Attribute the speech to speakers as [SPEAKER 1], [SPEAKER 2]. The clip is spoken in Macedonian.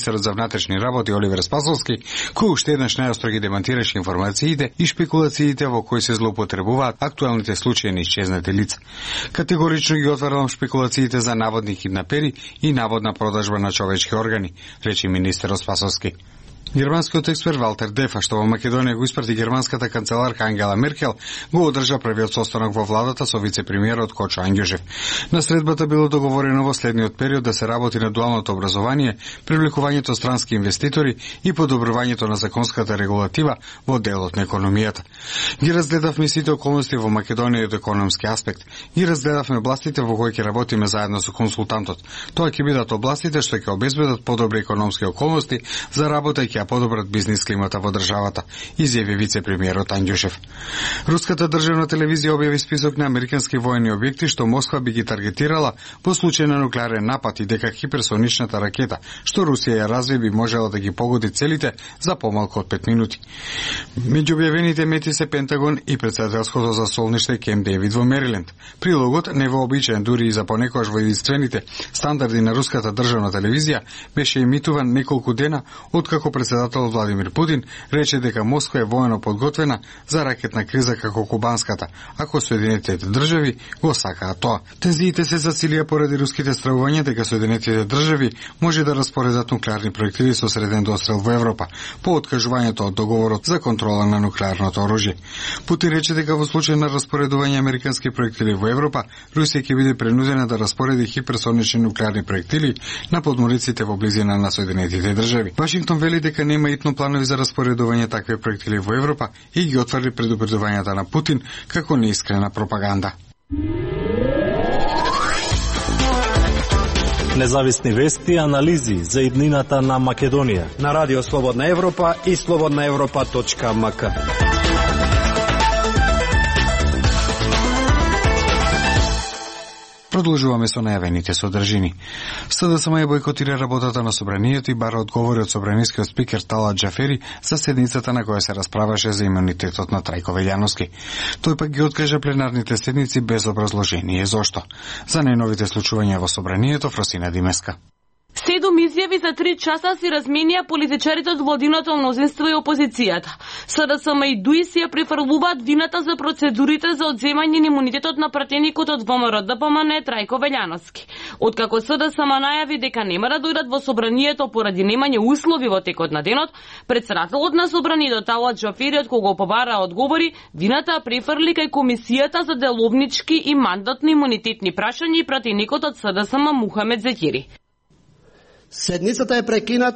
[SPEAKER 1] министерот за внатрешни работи Оливер Спасовски, кој уште еднаш најостро ги демантираше информациите и шпекулациите во кои се злоупотребуваат актуелните случаи на исчезнати лица. Категорично ги отварам шпекулациите за наводни киднапери и наводна продажба на човечки органи, рече министерот Спасовски. Германскиот експерт Валтер Дефа, што во Македонија го испрати германската канцеларка Ангела Меркел, го одржа првиот состанок во владата со вице-премиерот Кочо Ангјужев. На средбата било договорено во следниот период да се работи на дуалното образование, привлекувањето странски инвеститори и подобрувањето на законската регулатива во делот на економијата. Ги разгледавме сите околности во Македонија од економски аспект. Ги разгледавме областите во кои ќе работиме заедно со консултантот. Тоа ќе бидат областите што ќе обезбедат подобри економски околности за работа и ќе подобрат бизнис климата во државата, изјави вице-премиерот Ангјушев. Руската државна телевизија објави список на американски воени објекти што Москва би ги таргетирала во случај на нуклеарен напад и дека хиперсоничната ракета што Русија ја разви би можела да ги погоди целите за помалку од 5 минути. Меѓу објавените мети се Пентагон и претседателското засолниште Кемп Дејвид во Мериленд. Прилогот, невообичаен дури и за понекогаш во единствените стандарди на руската државна телевизија, беше емитуван неколку дена откако председателот Владимир Путин рече дека Москва е воено подготвена за ракетна криза како кубанската, ако Соединетите држави го сакаат тоа. Тензиите се засилија поради руските стравувања дека Соединетите држави може да распоредат нуклеарни проектили со среден дострел во Европа, по откажувањето од договорот за контрола на нуклеарното оружје. Путин рече дека во случај на распоредување американски проектили во Европа, Русија ќе биде принудена да распореди хиперсонични нуклеарни проектили на подмориците во близина на Соединетите држави. Вашингтон вели дека нема итно планови за распоредување такви проектили во Европа и ги отврди предупредувањата на Путин како неискрена пропаганда.
[SPEAKER 2] Независни вести и анализи за иднината на Македонија
[SPEAKER 3] на Радио Слободна Европа и slobodnaevropa.mk.
[SPEAKER 1] Продолжуваме со најавените содржини. СДСМ ја бойкотира работата на собранието и бара одговори од собранискиот спикер Талат Џафери за седницата на која се расправаше за имунитетот на Трајко Велјановски. Тој пак ги откажа пленарните седници без образложение зошто. За најновите случувања во собранието Фросина Димеска.
[SPEAKER 4] 7 изјави за 3 часа си разменија политичарите од владиното мнозинство и опозицијата. СДСМ и ДУИ си ја префрлуваат вината за процедурите за одземање на имунитетот на пратеникот од ВМРО-ДПМН Трајко Велјановски. Откако СДСМ најави дека нема да дојдат во собранието поради немање услови во текот на денот, претседателот на собранието Талат Џафери, од кого побара одговори, вината префрли кај Комисијата за деловнички и мандатни имунитетни прашања и пратеникот од СДСМ Мухамед Зекири.
[SPEAKER 3] Седницата е прекината